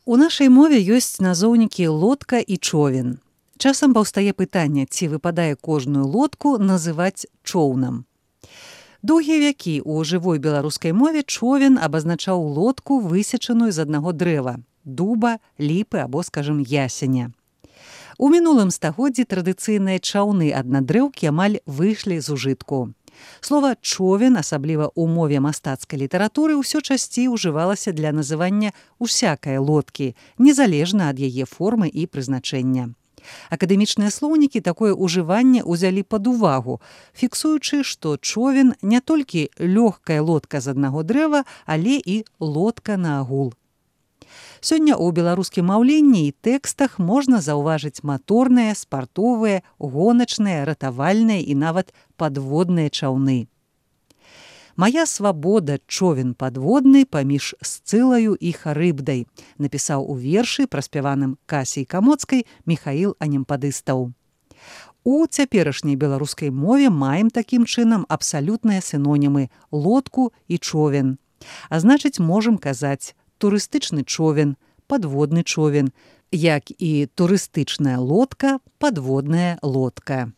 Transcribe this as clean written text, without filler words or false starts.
У нашай мове ёсць назоўнікі лодка і човен. Часам паўстае пытанне, ці выпадае кожную лодку называць чоўнам. Доўгія вякі ў жывой беларускай мове човен абазначаў лодку, высечаную з аднаго дрэва – дуба, ліпы або, скажам, ясеня. У мінулым стагоддзі традыцыйныя чаўны аднадрэўкі амаль выйшлі з ужытку. Слова «човен», асабліва ў мове мастацкай літаратуры, ўсё часцей ужывалася для называння усякай лодкі, незалежна ад яе формы і прызначэння. Акадэмічныя слоўнікі такое ўжыванне ўзялі пад увагу, фіксуючы, што човен не толькі лёгкая лодка з аднаго дрэва, але і лодка наагул. Сёння ў беларускім маўленні і тэкстах можна заўважыць маторныя, спартовыя, гоначныя, ратавальныя і нават падводныя чаўны. «Мая свабода, човен падводны паміж Сцылаю і Харыбдай», напісаў у вершы, праспяваным Касяй Камоцкай, Міхаіл Анемпадыстаў. У цяперашняй беларускай мове маем такім чынам абсалютныя сінонімы лодку і човен. А значыць, можам казаць турыстычны човен, падводны човен, як і турыстычная лодка, падводная лодка.